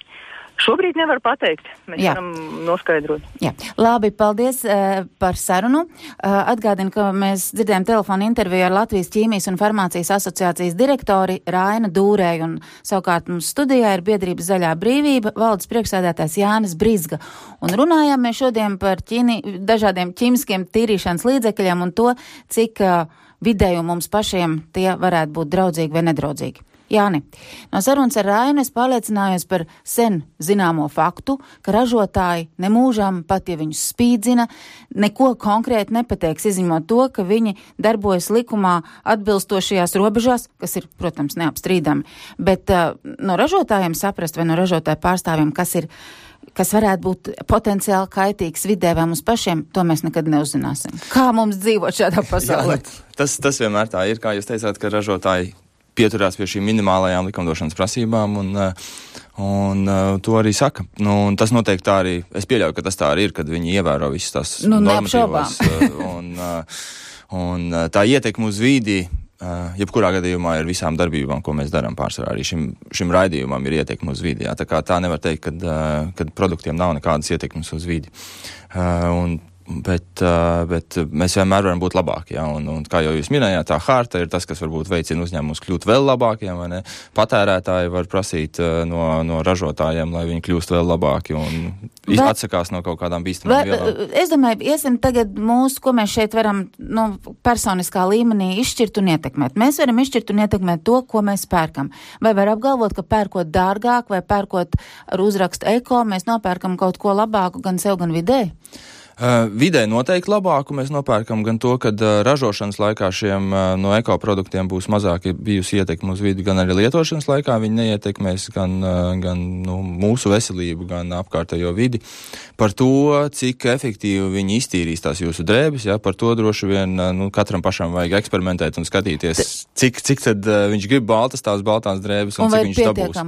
Speaker 8: Šobrīd nevar pateikt. Mēs varam noskaidrot.
Speaker 2: Jā. Labi, paldies par sarunu. Atgādinu, ka mēs dzirdējām telefonu interviju ar Latvijas ķīmijas un farmācijas asociācijas direktori Raina Dūrēju, un savukārt mums studijā ir biedrības Zaļā brīvība valdes priekšsēdētājs Jānis Brizga. Un runājām mēs šodien par dažādiem ķīmiskiem tīrīšanas līdzekļiem un to, cik vidēju mums pašiem tie varētu būt draudzīgi vai nedraudzīgi. Jāni, no sarunas ar Rainu es pārliecinājos par sen zināmo faktu, ka ražotāji nemūžam, pat ja viņus spīdzina, neko konkrēti nepateiks, izņemot to, ka viņi darbojas likumā atbilstošajās robežās, kas ir, protams, neapstrīdami. Bet no ražotājiem saprast vai no ražotāju pārstāvjiem, kas varētu būt potenciāli kaitīgs vidē vai mums pašiem, to mēs nekad neuzzināsim. Kā mums dzīvot šādā pasaulē?
Speaker 3: Jā, tas vienmēr tā ir, kā jūs teicāt, ka ražotāji pieturās pie šīm minimālajām likumdošanas prasībām un to arī saka. Un tas noteikti tā arī, es pieļauju, ka tas tā arī ir, kad viņi ievēro visas tās normatīvas un tā ietekme uz vīdi, jebkurā gadījumā ir visām darbībām, ko mēs darām pārsvarā. Arī šim raidījumam ir ietekme uz vīdi. Tā kā tā nevar teikt, kad produktiem nav nekādas ietekmes uz vīdi. Bet mēs vienmēr varam būt labāki, ja? Un kā jau jūs minējāt, tā harta ir tas, kas varbūt veicina uzņēmumus kļūt vēl labākiem, vai ne? Patērētāji var prasīt no ražotājiem, lai viņi kļūst vēl labāki un atsakās no kaut kādām bīstamām vielām. Es
Speaker 2: domāju, iesim tagad ko mēs šeit varam personiskā līmenī izšķirt un ietekmēt. Mēs varam izšķirt un ietekmēt to, ko mēs pērkam. Vai var apgalvot, ka pērkot dārgāk vai pērkot ar uzrakstu eko, mēs nopērkam kaut ko labāku gan sev, gan vidē?
Speaker 3: Vidē noteikti labāku mēs nopērkam gan to, kad ražošanas laikā šiem no ekoproduktiem būs mazāk bijusi ietekme uz vidi, gan arī lietošanas laikā viņi neietekmēs gan mūsu veselību, gan apkārtējo vidi. Par to, cik efektīvi viņi iztīrīs tās jūsu drēbes, par to droši vien katram pašam vajag eksperimentēt un skatīties, cik tad viņš grib baltās drēbes un cik viņš dabūs.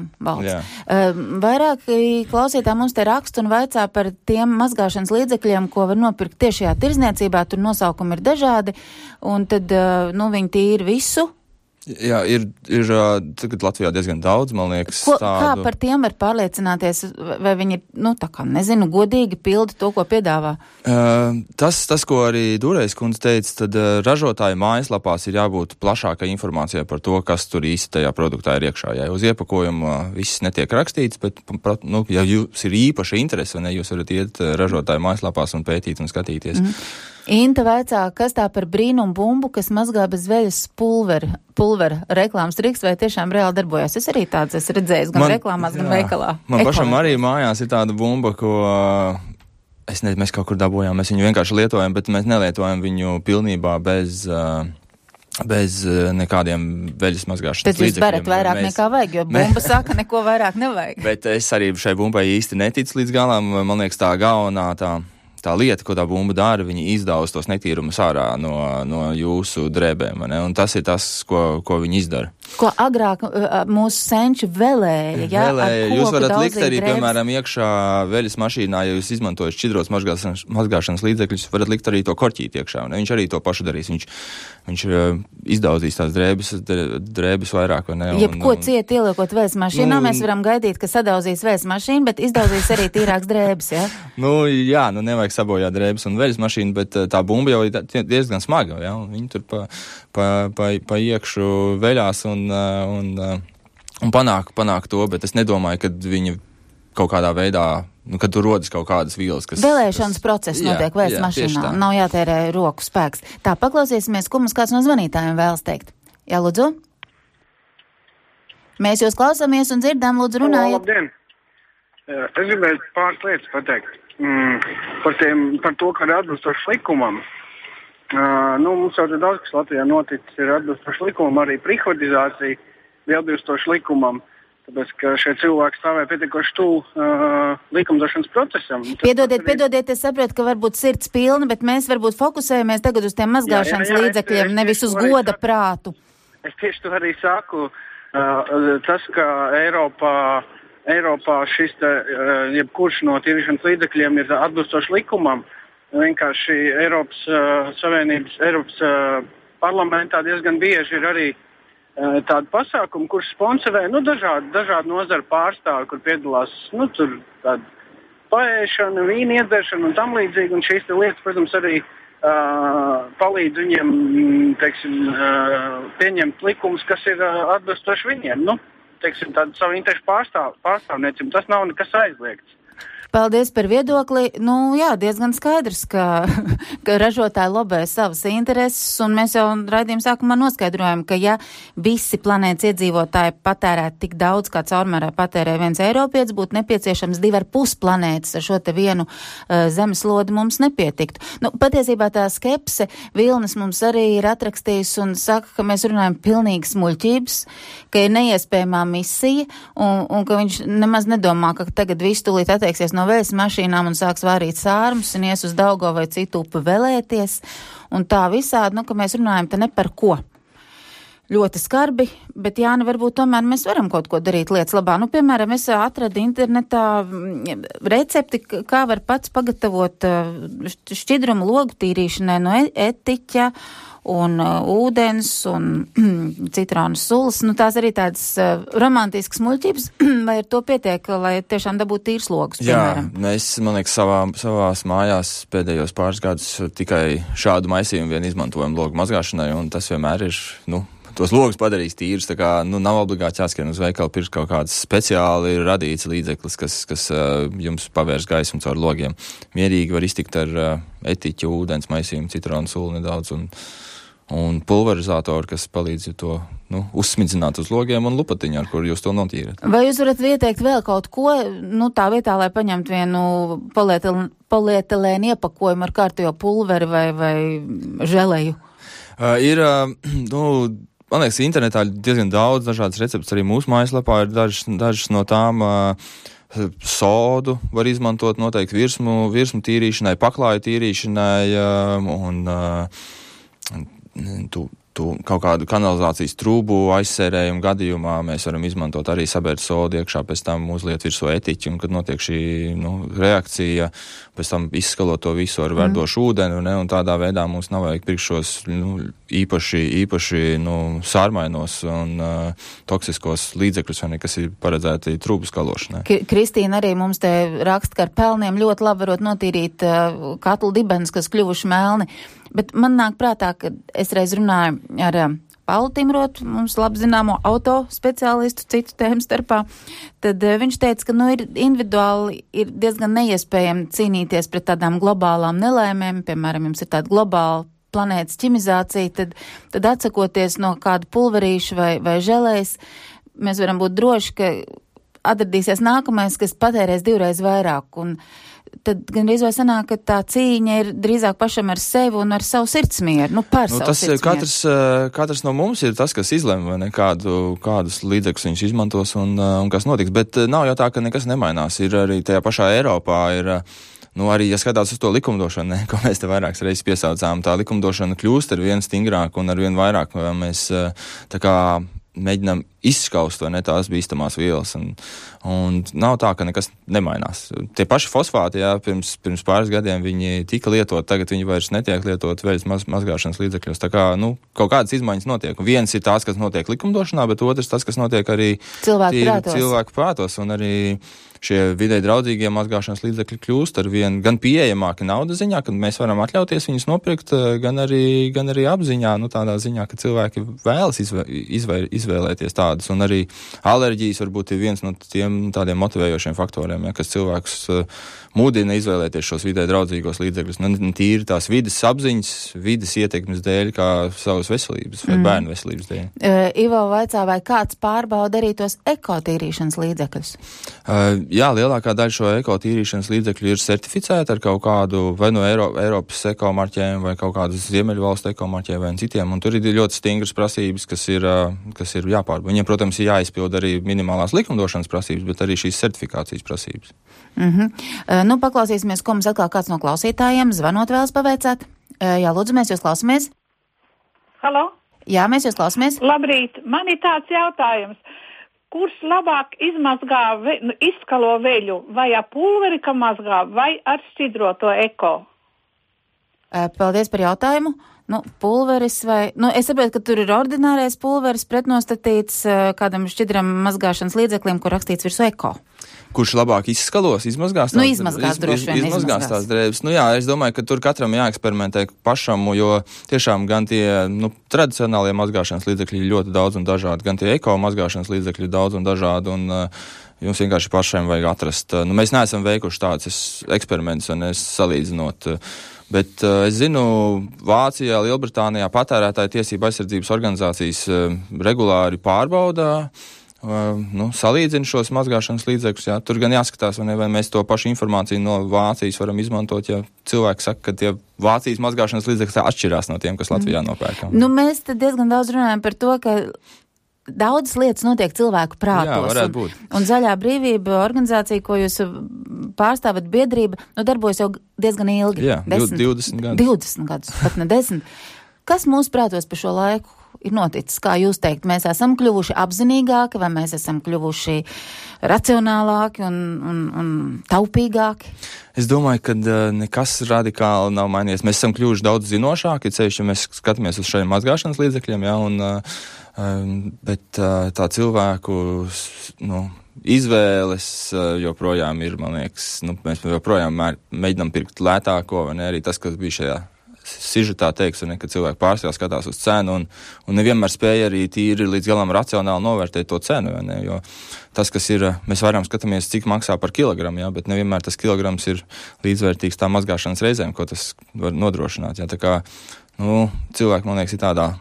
Speaker 2: Vairāk klausītā mums te raksta un vaicā par tiem mazgāšanas līdzekļiem, ko var nopirkt tiešajā tirzniecībā, tur nosaukumi ir dažādi, un tad, viņi tīri visu.
Speaker 3: Jā, ir tagad Latvijā diezgan daudz, man liekas,
Speaker 2: Kā par tiem var pārliecināties, vai viņi, godīgi pilda to, ko piedāvā?
Speaker 3: Tas, ko arī Dūrējs kundze teica, tad ražotāju mājaslapās ir jābūt plašākai informācijai par to, kas tur īsti tajā produktā ir iekšā. Ja uz iepakojuma viss netiek rakstīts, bet, ja jūs ir īpaša interese, vai ne, jūs varat iet ražotāju mājaslapās un pētīt un skatīties.
Speaker 2: Inta vaicā, kas tā par brīnumu bumbu, kas mazgā bez veļas pulvera reklāmas triks, vai tiešām reāli darbojas? Es arī tāds esmu redzējis gan reklāmās, gan veikalā.
Speaker 3: Man pašam arī mājās ir tāda bumba, ko mēs kaut kur dabūjām, mēs viņu vienkārši lietojam, bet mēs nelietojam viņu pilnībā bez nekādiem veļas mazgāšanas līdzekļiem.
Speaker 2: Tad jūs barat vairāk nekā vajag, jo bumba saka, neko vairāk nevajag.
Speaker 3: Bet es arī šai bumbai īsti neticu līdz galam. Man liekas, tā galvenā tā lieta, ko tā bumba dara, viņi izdauz tos netīrumus ārā no jūsu drēbēm, ne? Un tas ir tas, ko viņi izdara.
Speaker 2: Ko agrāk mūsu senči vēlēja, ja?
Speaker 3: Jūs varat likt arī, piemēram, iekšā veļas mašīnā, ja jūs izmantojat šķidros mazgāšanas līdzekļus, varat likt arī to korķīt iekšā, ne? Viņš arī to pašu darīs. Viņš izdaudzīs tās drēbes vairāk, vai ne?
Speaker 2: Jebko ciet ieliekot vējas mašīnā, mēs varam gaidīt, ka sadaudzīs vējas mašīnu, bet izdaudzīs arī tīrāks drēbes, ja?
Speaker 3: Jā, nevajag sabojāt drēbes un veļas mašīnu, bet tā bumba jau ir diezgan smaga, ja? Viņi tur pa iekšu veļās un panāk to, bet es nedomāju, ka viņi kaut kādā veidā, kad tur rodas kaut kādas vielas, kas...
Speaker 2: Vēlēšanas process notiek vējas mašīnā, nav jātērē roku spēks. Tā, paklausīsimies, ko mums kāds no zvanītājiem vēlas teikt. Jā, lūdzu? Mēs jūs klausāmies un dzirdām, lūdzu, runājiet.
Speaker 9: Labdien! Es gribēju pāris lietas pateikt. Par to, ka ir atbilstoši likumam. Mums jau daudz, kas Latvijā noticis, ir atbilstoši likumam, arī privatizācija ir atbilstoši likumam, tāpēc, ka šie cilvēki stāvēja pietiekoši tuvu likumdošanas procesam.
Speaker 2: Piedodiet, es saprotu, ka varbūt sirds pilna, bet mēs varbūt fokusējamies tagad uz tiem mazgāšanas līdzekļiem, nevis uz goda prātu.
Speaker 9: Es tieši to arī saku. Tas, ka Eiropā šis jebkurš no tīrīšanas līdzekļiem ir atbilstoši likumam, vienkārši Eiropas Savienības, Eiropas parlamentā diezgan bieži ir arī tādu pasākumu, kurš sponsorē dažādu nozaru pārstāvi, kur piedalās tur tāda paēšana, vīna iedzeršana un tam līdzīgi. Un šīs lietas, protams, arī palīdz viņiem pieņemt likumus, kas ir atbilstoši viņiem. Tādu savu interešu pārstāvniecību. Tas nav nekas aizliegts.
Speaker 2: Paldies par viedokli. Jā, diezgan skaidrs, ka ražotāji lobē savas intereses, un mēs jau raidījuma sākumā noskaidrojam, ka ja visi planētas iedzīvotāji patērētu tik daudz, kā caurmērā patērē viens eiropietis, būtu nepieciešams 2,5 planētas, ar šo te vienu zemeslodi mums nepietiktu. Patiesībā tā skepse Vilnis mums arī ir atrakstījis un saka, ka mēs runājam pilnīgi smuļķības, ka ir neiespējamā misija, un ka viņš nemaz nedomā, ka tagad visu tūlīt atteiksies no vējas mašīnām un sāks vārīt sārmus un ies uz Daugavu vai citu upi velēties. Un tā visādi, ka mēs runājam te ne par ko. Ļoti skarbi, bet Jāni, varbūt tomēr mēs varam kaut ko darīt lietas labā. Piemēram, es atradu internetā recepti, kā var pats pagatavot šķidrumu logu tīrīšanai no etiķa un ūdens un citronas sulas. Tās arī tādas romantiskas muļķības, vai ar to pietiek, lai tiešām dabūtu tīrs logus, piemēram?
Speaker 3: Jā, mēs, man liekas, savās mājās pēdējos pāris gadus tikai šādu maisījumu vien izmantojam logu mazgāšanai, un tas vienmēr ir, tos logus padarīs tīrus, tā kā, nav obligāti jāskrien uz veikalu pirkt kaut kāds speciāli radīts līdzeklis, kas jums pavērs gaismu caur logiem. Mierīgi var iztikt ar etiķu, ūdens maisījumu, citronu sulu nedaudz un pulverizātoru, kas palīdz to uzsmidzināt uz logiem un lupatiņu, ar kuru jūs to notīrat.
Speaker 2: Vai jūs varat ieteikt vēl kaut ko, tā vietā, lai paņemtu vienu polietilēnu iepakojumu ar kārtējo pulveri vai želeju?
Speaker 3: Man liekas, internetā ir diezgan daudz dažādas receptes, arī mūsu mājaslapā ir dažas no tām. Sodu var izmantot noteikti virsmu tīrīšanai, paklāju tīrīšanai un kaut kādu kanalizācijas trūbu aizsērējumu gadījumā mēs varam izmantot arī sabērt sodu iekšā, pēc tam uzliet virsū etiķi, un kad notiek šī reakcija, pēc tam izskalot to visu ar verdošu ūdeni, un tādā veidā mums nav vajag pirkt šos īpaši sārmainos un toksiskos līdzekļus, kas ir paredzēti trūbu skalošanai.
Speaker 2: Kristīna arī mums te raksta, ka ar pelniem ļoti labi varot notīrīt katlu dibenus, kas kļuvuši melni. Bet man nāk prātā, ka es reiz runāju ar Paulu Timrotu, mums labi zināmo auto speciālistu citu tēmu starpā, tad viņš teica, ka ir individuāli ir diezgan neiespējami cīnīties pret tādām globālām nelēmēm, piemēram, jums ir tāda globāla planētas ķimizācija, tad atsakoties no kāda pulverīša vai želejas, mēs varam būt droši, ka atradīsies nākamais, kas patērēs 2 reizes vairāk, un tad gan arī sanāk, ka tā cīņa ir drīzāk pašam ar sevi un ar savu sirdsmieru, par savu
Speaker 3: sirdsmieru. Katrs no mums ir tas, kas izlemj, kādus līdzekļus viņš izmantos un kas notiks, bet nav jau tā, ka nekas nemainās. Ir arī tajā pašā Eiropā ir, arī, ja skatās uz to likumdošanu, ko mēs te vairākas reizes piesaucām, tā likumdošana kļūst ar vien stingrāk un ar vien vairāk mēs tā kā mēģinām izskaust tās bīstamās vielas, un nav tā, ka nekas nemainās. Tie paši fosfāti, pirms pāris gadiem viņi tika lietot, tagad viņi vairs netiek lietot veļas mazgāšanas līdzekļos. Tā kā, kaut kādas izmaiņas notiek. Viens ir tās, kas notiek likumdošanā, bet otrs tas, kas notiek arī cilvēku prātos, un arī šie videi draudzīgie mazgāšanas līdzekļi kļūst ar vien gan pieejamāki naudas ziņā, kad mēs varam atļauties viņus nopirkt, gan arī apziņā, tādā ziņā, ka cilvēki vēlas izvēlēties tādus, un arī alerģijas varbūt ir viens no tiem tādiem motivējošiem faktoriem, kas cilvēkus mudina izvēlēties šos videi draudzīgos līdzekļus, tīri tās vides apziņas, vides ietekmes dēļ, kā savas veselības vai bērnu veselības dēļ.
Speaker 2: Ivo vaicā, vai kāds pārbauda arī tos ekotīrīšanas līdzekļus?
Speaker 3: Jā, lielākā daļa šo ekotīrīšanas līdzekļu ir certificēta ar kaut kādu vai no Eiropas ekomarķēm vai kaut kādas Ziemeļvalstu ekomarķēm vai citiem, un tur ir ļoti stingras prasības, kas ir jāpārbauda. Viņiem, protams, ir jāizpild arī minimālās likumdošanas prasības, bet arī šīs certifikācijas prasības.
Speaker 2: Paklausīsimies, ko mums atkal kāds no klausītājiem zvanot vēlas paveicāt. Jā, lūdzu, mēs jūs klausamies.
Speaker 10: Halo?
Speaker 2: Jā, mēs jūs klausamies.
Speaker 10: Labrīt, man ir tāds jautājums. Kurš labāk izskalo veļu, vai ar pulveri, ka mazgā, vai ar šķidroto eko?
Speaker 2: Paldies par jautājumu. pulveris vai, es saprotu, ka tur ir ordinārais pulveris pretnostatīts kādam šķidram mazgāšanas līdzeklim, kur rakstīts virsū eko.
Speaker 3: Kurš labāk izskalos, izmazgās?
Speaker 2: Izmazgās droši vien.
Speaker 3: Izmazgās tās drēbes. Jā, es domāju, ka tur katram jāeksperimentē pašam, jo tiešām gan tie, tradicionālie mazgāšanas līdzekļi ir ļoti daudz un dažādi, gan tie eko mazgāšanas līdzekļi ir daudz un dažādi, un jums vienkārši pašiem vajag atrast. Mēs neesam veikuši tādus eksperimentus, un es salīdzinot, bet es zinu, Vācijā, Lielbritānijā patērētāju tiesību aizsardzības organizācijas regulāri pārbaudā, salīdzina šos mazgāšanas līdzekļus, jā. Tur gan jāskatās, vai mēs to pašu informāciju no Vācijas varam izmantot, ja cilvēki saka, ka tie Vācijas mazgāšanas līdzekļi atšķirās no tiem, kas Latvijā nopērkam.
Speaker 2: Mēs te diezgan daudz runājam par to, ka daudzas lietas notiek cilvēku prātos.
Speaker 3: Jā, varētu būt.
Speaker 2: Un Zaļā brīvība organizācija, ko jūs pārstāvat, biedrība, darbojas jau diezgan ilgi.
Speaker 3: Jā, 20 gadus.
Speaker 2: 20 gadus, pat ne 10. Kas mūsu prātos pa šo laiku ir noticis? Kā jūs teikt, mēs esam kļuvuši apzinīgāki, vai mēs esam kļuvuši racionālāki un taupīgāki?
Speaker 3: Es domāju, ka nekas radikāli nav mainījies. Mēs esam kļuvuši daudz zinošāki, ceļš, ja mēs skatāmies uz šiem mazgāšanas līdzekļiem, jā, bet tā cilvēku, izvēles joprojām ir, man liekas, mēs joprojām mēģinām pirkt lētāko, vai ne, arī tas, kas bija šajā sižetā teiks, ka cilvēki pārsvarā skatās uz cenu un nevienmēr spēja arī tīri līdz galam racionāli novērtēt to cenu, vai ne, jo tas, kas ir, mēs vairāk skatāmies, cik maksā par kilogramu, jā, bet nevienmēr tas kilograms ir līdzvērtīgs tā mazgāšanas reizēm, ko tas var nodrošināt, jā, tā kā, cilvēki, man liekas, ir tādā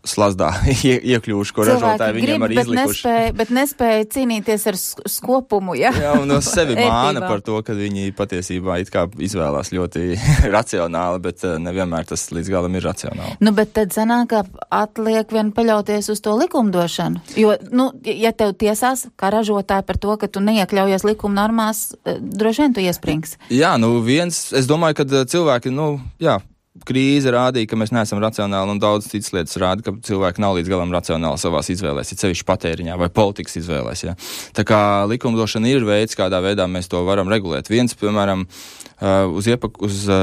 Speaker 3: slazdā iekļuvuši, ko ražotāji viņiem arī izlikuši.
Speaker 2: Bet nespēja cīnīties ar skopumu, jā?
Speaker 3: Jā, un sevi māna par to, ka viņi patiesībā it kā izvēlās ļoti racionāli, bet nevienmēr tas līdz galam ir racionāli.
Speaker 2: Bet tad sanāk, ka atliek vien paļauties uz to likumdošanu. Jo, ja tev tiesās kā ražotāji par to, ka tu neiekļaujies likuma normās, droši vien tu iesprings.
Speaker 3: Jā, es domāju, ka cilvēki, krīze rādīja, ka mēs neesam racionāli, un daudz citas lietas rāda, ka cilvēki nav līdz galam racionāli savās izvēlēs, ir sevišķi patēriņā vai politikas izvēlēs. Ja. Tā kā likumdošana ir veids, kādā veidā mēs to varam regulēt. Viens, piemēram, uz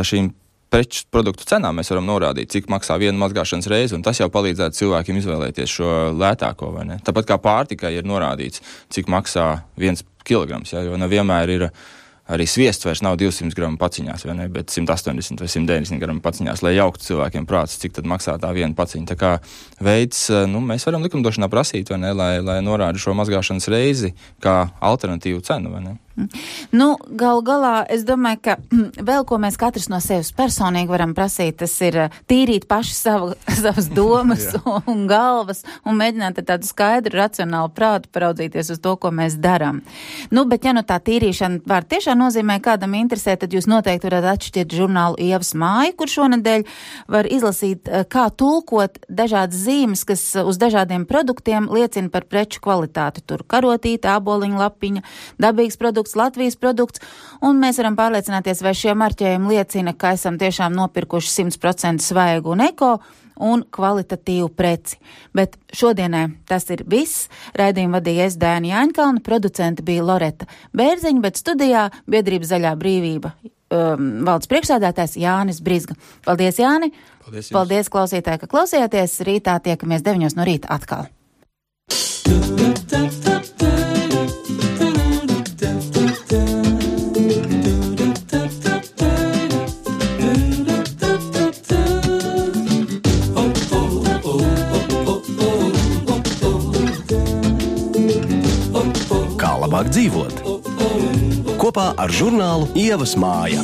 Speaker 3: šīm preču produktu cenām mēs varam norādīt, cik maksā viena mazgāšanas reize, un tas jau palīdzētu cilvēkiem izvēlēties šo lētāko, vai ne? Tāpat kā pārtikai ir norādīts, cik maksā 1 kilograms, ja, jo nevienmēr ir arī sviests vairs nav 200 gramu paciņās, vai ne, bet 180 vai 190 gramu paciņās, lai jauktu cilvēkiem prāts, cik tad maksā tā viena paciņa. Tā kā veids, mēs varam likumdošanā prasīt, vai ne, lai norāda šo mazgāšanas reizi kā alternatīvu cenu, vai ne?
Speaker 2: Gal galā, es domāju, ka vēl ko mēs katrs no sevis personīgi varam prasīt, tas ir tīrīt paši savas domas un galvas un mēģināt ar tādu skaidru, racionālu prātu paraudzīties uz to, ko mēs darām. Bet ja tā tīrīšana var tiešām nozīmē kādam interesē, tad jūs noteikti varat atšķirt žurnālu Ievas māju, kur šonedēļ var izlasīt, kā tulkot dažādas zīmes, kas uz dažādiem produktiem liecina par preču kvalitāti. Tur karotīte, āboliņa lapiņa, dabīgs produkts, Latvijas produkts, un mēs varam pārliecināties, vai šie marķējumi liecina, ka esam tiešām nopirkuši 100% svaigu un eko un kvalitatīvu preci. Bet šodienai tas ir viss. Raidījumu vadīja es, Dēna Jāņkalna, producente bija Loreta Bērziņa, bet studijā biedrības Zaļā brīvība valdes priekšsēdētājs Jānis Brizga. Paldies, Jāni! Paldies klausītāji, ka klausījāties. Rītā tiekamies 9 no rīta atkal.
Speaker 1: Kā labāk dzīvot? Kopā ar žurnālu Ievas māja.